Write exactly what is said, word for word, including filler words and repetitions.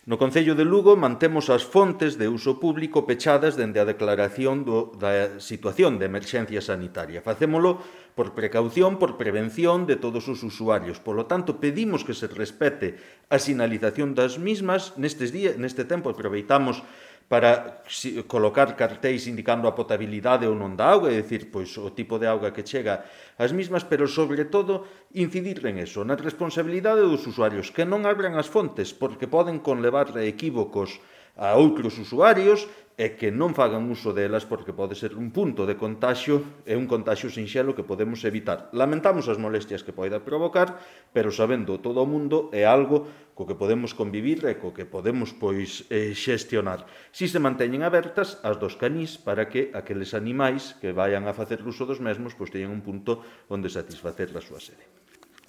No Concello de Lugo mantemos as fontes de uso público pechadas dende a declaración do, da situación de emerxencia sanitaria. Facémolo por precaución, por prevención de todos os usuarios. Por lo tanto, pedimos que se respete a sinalización das mismas. Nestes días, neste tempo, aproveitamos para colocar cartéis indicando a potabilidade ou non da auga, é dicir, pois, o tipo de auga que chega ás mismas, pero, sobre todo, incidir en eso, na responsabilidade dos usuarios, que non abran as fontes, porque poden conlevar equívocos a outros usuarios e que non fagan uso delas porque pode ser un punto de contaxio e un contaxio sinxelo que podemos evitar. Lamentamos as molestias que poida provocar, pero sabendo todo o mundo é algo co que podemos convivir e co que podemos pois eh, xestionar. Si se manteñen abertas as dos canís para que aqueles animais que vayan a facer uso dos mesmos pois teñan un punto onde satisfacer a súa sede.